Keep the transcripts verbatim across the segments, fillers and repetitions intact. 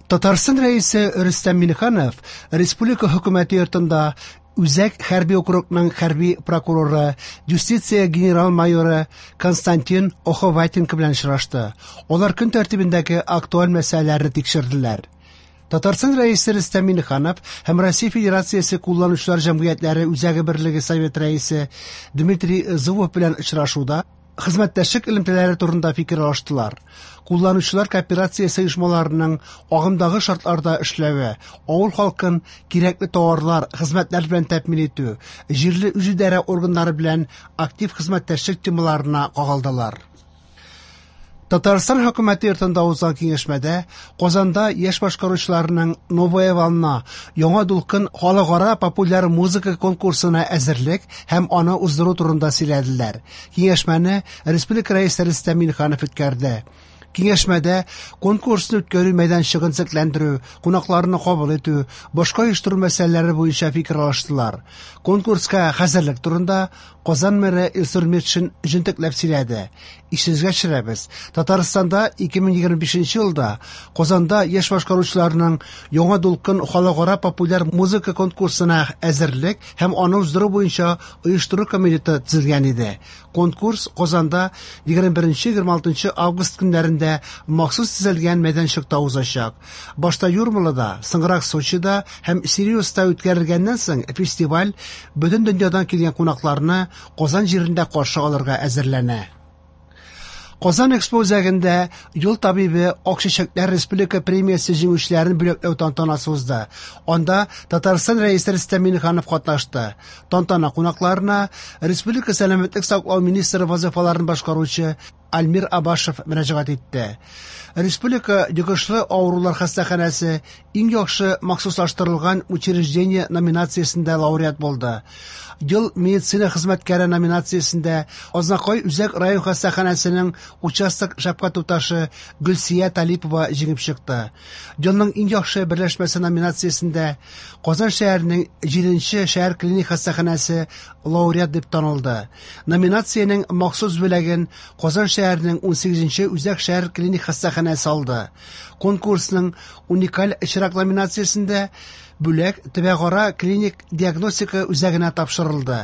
Татарстан Рәисе Рөстәм Миңнеханов республика хөкүмәте йортында Үзәк хәрби округның хәрби прокуроры, юстиция генерал-майоры Константин Оховатенко белән очрашты. Алар көн тәртибендәге актуаль мәсьәләләрне тикшерделәр. Татарстан Рәисе Рөстәм Миңнеханов һәм Россия Федерациясе кулланучылар җәмгыятьләре Үзәге берлеге Совет рәисе Дмитрий Зубов белән очрашуда хезмәттәшлек элемтәләре турында фикер алыштылар. Кулланучылар кооперациясе оешмаларының агымдагы шартларда эшләве, авыл халкын кирәкле товарлар, хезмәтләр белән тәэмин итү, җирле үзидарә органнары белән актив хезмәттәшлек темаларына кагылдылар. Татарстан хөкүмәте йортында узган киңәшмәдә Казанда яшь башкаручыларның «Новая волна» яңа дулкын халыкара популяр музыка конкурсына әзерлек һәм аны уздыру турында сөйләделәр. Киңәшмәне республика Рәисе Рөстәм Миңнеханов үткәрде. Киңәшмәдә конкурсны үткәрү мәйданчыгын төзекләндерү, кунакларны кабул итү, башка оештыру мәсьәләләре буенча фикер алыштылар. Конкурска хәзерлек турында Казан мэры Илсур Метшин җентекләп сөйләде. Исегезгә төшерәбез, Татарстанда ике мең егерме бишенче елда Казанда яшь башкаручыларның яңа дулкын халыкара популяр музыка конкурсына әзерлек һәм аны уздыру буенча оештыру комитеты төзелгән иде. Конкурс Казанда егерме беренче егерме алтынчы август көннәрендә махсус төзелгән мәйданчыкта узачак. Башта Юрмалада, соңрак Сочида һәм Сириуста үткәрелгәннән соң фестиваль бөтен дөньядан килгән кунакларны Казан җирендә каршы алырга әзерләнә. Казан Экспо үзәгендә Юл табибы Ак чәчәкләр республика премиясе җиңүчеләрен бүләкләү тантанасы узды. Анда Татарстан Рәисе Рөстәм Миңнеханов катнашты. Тантана кунакларына республика сәламәтлек саклау министры вазифаларын башкаручы Альмир Абашев мөрәҗәгать итте. Республика йогышлы авырулар хастаханәсе иң яхшы махсуслаштырылган учреждение номинациясендә лауреат булды. Ел медицина хезмәткәре номинациясендә Азнакай үзәк район хастаханәсенең участок шәфкать туташы Гөлсия Талипова җиңеп чыкты. Елның иң яхшы берләшмәсе номинациясендә Казан шәһәренең җиденче шәһәр клиник хастаханәсе лауреат дип танылды. Номинациянең махсус бүләген Казан шәһәренең унсигезенче үзәк шәһәр клиник хастаханәсе алды. Конкурсның уникаль очрак номинациясендә бүләк Төбәкара клиник диагностика үзәгенә тапшырылды.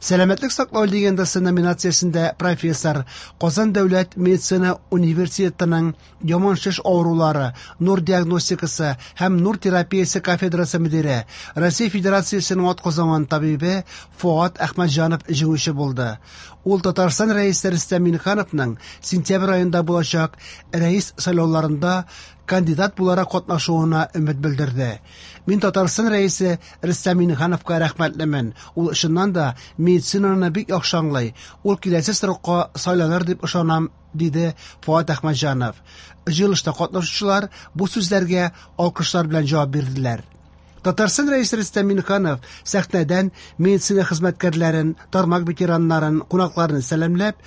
Сәламәтлек саклау легендасы номинациясендә профессор Казан дәүләт медицина университетының яман шеш авырулары, нур диагностикасы һәм нур терапиясе кафедрасы мөдире, Россия Федерациясенең атказанган табибе Фуат Әхмәтҗанов җиңүче булды. Ул Татарстан Рәисе Рөстәм Миңнехановның сентябрь аенда булачак рәис сайлауларында кандидат буларак катнашуына өмет белдерде. Мин Татарстан Рәисе Рөстәм Миңнехановка рәхмәтлемен. Ул чыннан да медицинаны бик яхшы аңлый. Ул киләсе срокка сайланыр дип ышанам, диде Фуат Әхмәтҗанов. Җыелышта катнашучылар бу сүзләргә алкышлар белән җавап бирделәр. Татарстан Рәисе Рөстәм Миңнеханов сәхнәдән медицина хезмәткәрләрен, тармак ветераннарын, кунакларын сәламләп,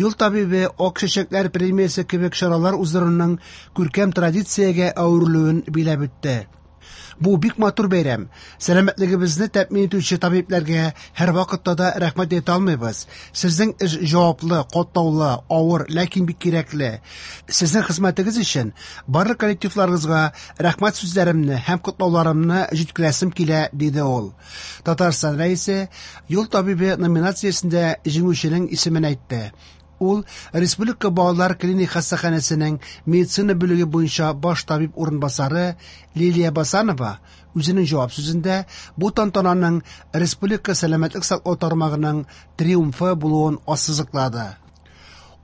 Юл табибы Ак чәчәкләр премиясе кебек чаралар уздыруның күркәм традициягә әверелүен биләп үтте. Бу бик матур бәйрәм. Сәламәтлегебезне тәэмин итүче табибләргә һәр вакытта да рәхмәт әйтә алмыйбыз. Сезнең эш җаваплы, катлаулы, авыр, ләкин бик кирәкле. Сезнең хезмәтегез өчен барлык коллективларыгызга рәхмәт сүзләремне һәм котлауларымны җиткерәсем килә, диде ул. Татарстан Рәисе Юл табибы номинациясендә җиңүченең исемен әйтте. Ул Республика балалар клиник хастаханәсенең медицина бүлеге буенча баш табиб урынбасары Лилия Басанова үзенең җавап сүзендә бу тантананың республика сәламәтлек саклау тармагының триумфы булуын ассызыклады.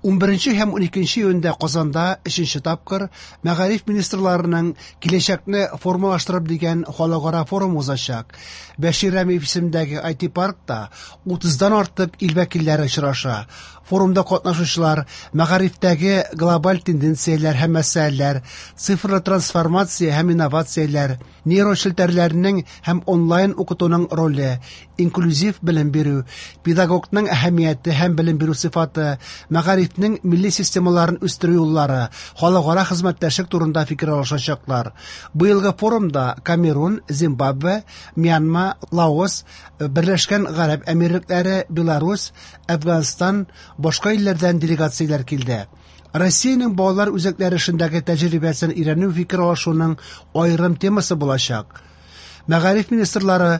Унберенче һәм уникенче июньдә Казанда өченче тапкыр мәгариф министрларының киләчәкне формалаштырып дигән халыкара форум узачак. Бәшир Рәмиев исемендәге ай ти паркта утыздан артык ил вәкилләре очраша. Форумда катнашучылар мәгарифтәге глобаль тенденцияләр һәм мәсьәләләр, цифрлы трансформация һәм инновацияләр, нейрочелтәрләрнең һәм онлайн укытуның роле, инклюзив белем бирү, педагогның әһәмияте һәм белем бирү сыйфаты, мәгарифнең милли системаларын үстерү юллары, халыкара хезмәттәшлек турында фикер алышачаклар. Быелгы форумда Камерун, Зимбабве, Мьянма, Лаос, Берләшкән Гарәп Әмирлекләре, Беларусь, Әфганстан, башка илләрдән делегацияләр килде. Россиянең балалар үзәкләре эшендәге тәҗрибәсен өйрәнү фикер алышуның аерым темасы булачак. Мәгариф министрлары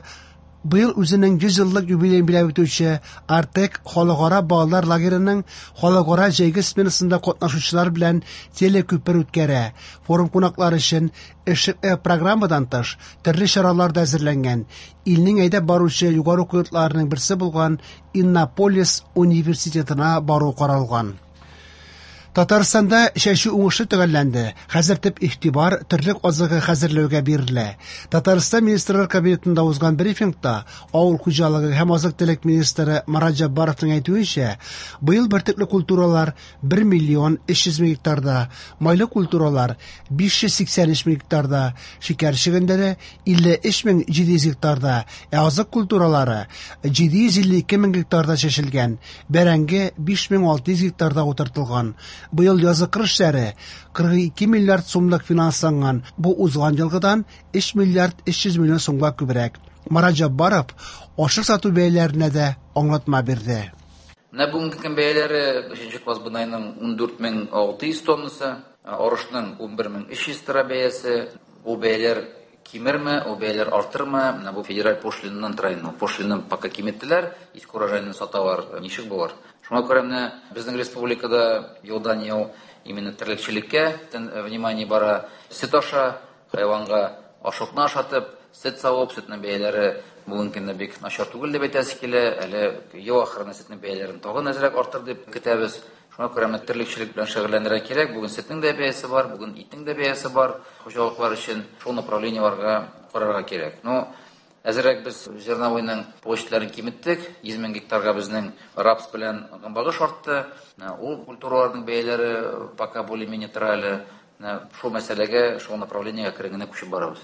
быел үзенең йөз еллык юбилеен билгеләп үтүче Артек халыкара балалар лагерының халыкара җәйге сменасында катнашучылар белән телекүпер үткәрә. Форум кунаклары өчен эшлекле программадан тыш төрле чаралар да әзерләнгән. Илнең әйдәп баручы югары уку йортларының берсе булган Иннополис университетына бару каралган. Татарстанда чәчү уңышы төгәлләнде. Хәзер төп игътибар терлек азыгы хәзерләүгә бирелә. Татарстан Министрлар Кабинетында узган брифингта авыл хуҗалыгы һәм азык-төлек министры Марат Җаббаровның әйтүенчә, быел бөртекле культуралар бер миллион өч йөз мең гектарда, майлы культуралар биш йөз сиксән өч мең гектарда, шикәр чөгендере илле өч мең җиде йөз гектарда, ә азык культуралары җиде йөз илле ике мең гектарда чәчелгән, бәрәңге биш мең алты йөз гектарда утыртылган. Быел язгы кыр эшләре кырык ике миллиард сумлык финансланган. Бу узган елгыдан өч миллиард өч йөз миллион сумга күбрәк. Марат Җаббаров ашык сату бәяләренә дә аңлатма бирде. Менә бүгенге көн бәяләре өченче класс бодайның ундүрт мең алты йөз тоннасы, арышның унбер мең өч йөз тора бәясе. Бу бәяләр кимерме, ул бәяләр артырмы? Менә бу федераль пошлинаннан тора инде. Пошлинаны пока киметтеләр, иске урожайны саталар, ничек булыр? Шуңа күрә менә безнең республикада елдан ел именно терлекчелеккә внимание бара. Сөт аша, хайванга ашыкны ашатып, сөт савып, сөтнең бәяләре бүгенге көндә бик начар түгел дип әйтәсе килә. Әле ел ахырына сөтнең бәяләрен тагын әзрәк артыр дип көтәбез. Шуңа күрә менә терлекчелек белән шөгыльләнергә кирәк. Бүген сөтнең дә бәясе бар, бүген итнең дә бәясе бар. Хуҗалыклар өчен шул направлениеларга карарга кирәк. Ну, әзрәк без зерновойның площадьларын киметтек. Йөз мең гектарга безнең рапс белән гөмбагыш артты. Ул культураларның бәяләре пока более-менее тора әле. Шул мәсьәләгә, шул направлениегә әкрен генә күчеп барабыз.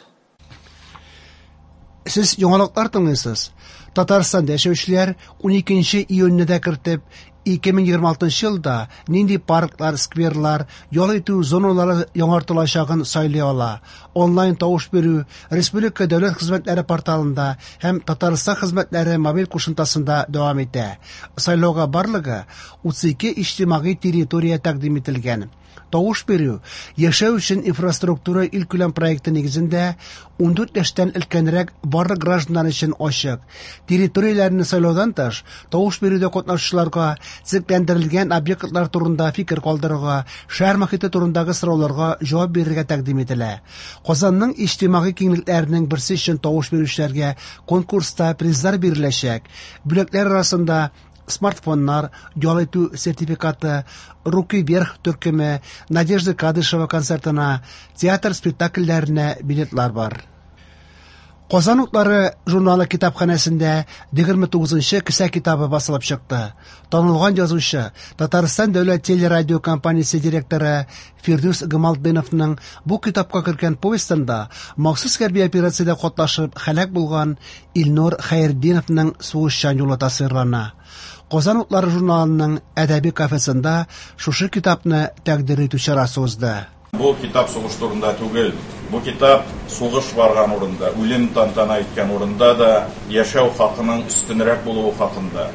Сез яңалыклар тыңлыйсыз. Татарстанда яшәүчеләр уникенче июньне дә кертеп, ике мең егерме алтынчы елда нинди парклар, скверлар, ял итү зоналары яңартылачагын сайлый ала. Онлайн тавыш бирү Республика дәүләт хезмәтләре порталында һәм Татарстан хезмәтләре мобиль кушымтасында дәвам итә. Сайлауга барлыгы утыз ике иҗтимагый территория тәкъдим ителгән. Тавыш бирү яшәү өчен инфраструктура илкүләм проекты нигезендә ундүрт яшьтән өлкәнрәк барлык гражданнар өчен ачык. Территорияләрне сайлаудан тыш, тавыш бирүдә катнашучыларга төзекләндерелгән объектлар турында фикер калдырырга, шәһәр мохите турындагы сорауларга җавап бирергә тәкъдим ителә. Казанның иҗтимагый киңлекләренең берсе өчен тавыш бирүчеләргә конкурста призлар биреләчәк. Бүләкләр арасында смартфоннар, ял итү сертификаты, Руки вверх төркеме, Надежда Кадышева концертына, театр спектакльләренә билетлар бар. Казан утлары журналы китапханәсендә егерме тугызынчы кесә китабы басылып чыкты. Танылган язучы, Татарстан дәүләт телерадио компаниясе директоры Фирдүс Гамалтдиновның бу китапка кергән повестында махсус хәрби операциядә катнашып һәлак булган Илнур Хәйретдиновның сугышчан юлы тасвирлана. Казан утлары журналының әдәби кафесында шушы китапны тәкъдир итү чарасы узды. Бу китап сугыш турында түгел. Бу китап сугыш барган урында, үлем тантана иткән урында да яшәү хакының өстенрәк булуы хакында.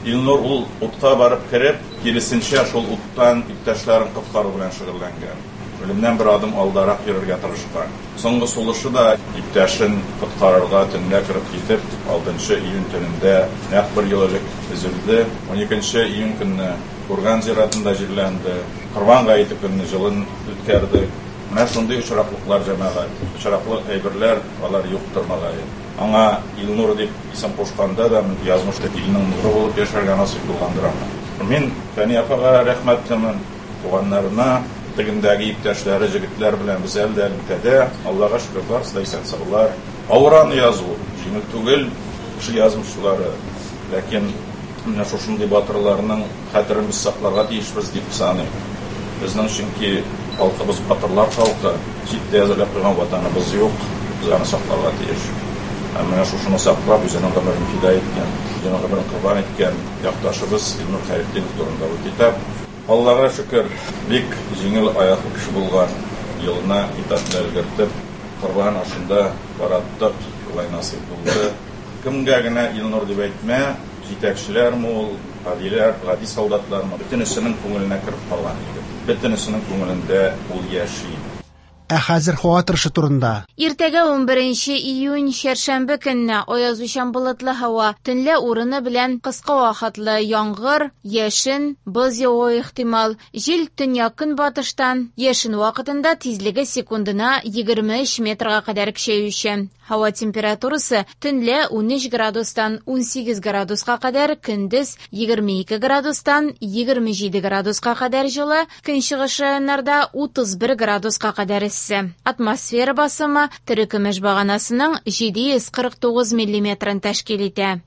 Илнур ул утка барып кереп, киресенчә шул уттан иптәшләрен коткару белән шөгыльләнгән. Үлемнән бер адым алдарак йөрергә тырышкан. Соңгы сулышы да иптәшен коткарырга төнлә кереп китеп, алтынчы июнь төнендә нәкъ бер ел элек өзелде. Уникенче июнь көнне Курган зиратында җирләнде. Корбан гаете көнне җылын үткәрдек. Менә шундый очраклыклар, җәмәгать, очраклы әйберләр алар юктыр мөгаен. Аңа Илнур дип исем кушканда да язмыш илнең нуры булып яшәргә насыйп булгандыр аңа. Мин Фәния апага рәхмәтлемен, туганнарына, тегендәге иптәшләре, җегетләр белән без әле дә элемтәдә. Аллага шөкер, барысы да исән-саулар. Авыр аны язу җиңел түгел, кеше язмышлары. Ләкин менә шушындый батырларның хәтерен без сакларга тиешбез дип саныйм. Безнең чөнки халкыбыз батырлар халкы, читтә әзерләп куйган ватаныбыз юк, без аны сакларга тиеш. Һәм менә шушыны саклап, үзенең гомерен фида иткән, үзенең гомерен корбан иткән якташыбыз Илнур Хәйретдинов турында бу китап. Аллага шөкер, бик җиңел аяклы кеше булган, елына китапны өлгертеп, корбан ашында бараттык, шулай насыйп булды. Кемгә генә Илнур дип әйтмә, җитәкчеләрме ул, Гадиләр, гади солдатлармы, бөтенесенең күңеленә кереп калган егет. Бөтенесенең күңелендә ул яши. Ә хәзер һава торышы турында. Иртәгә унберенче июнь чәршәмбе көнне аязучан болытлы һава, төнлә урыны белән кыска вакытлы яңгыр, яшен, боз явуы ихтимал. Җил төньяк-көнбатыштан, яшен вакытында тизлеге секундына егерме өч метрга кадәр көчәючән. Һава температурасы төнлә унөч градустан унсигез градуска кадәр, көндез егерме ике градустан егерме җиде градуска кадәр җылы, көнчыгыш районнарда утыз бер градуска кадәр эссе. Атмосфера басымы терекөмеш баганасының җиде йөз кырык тугыз миллиметрын тәшкил итә.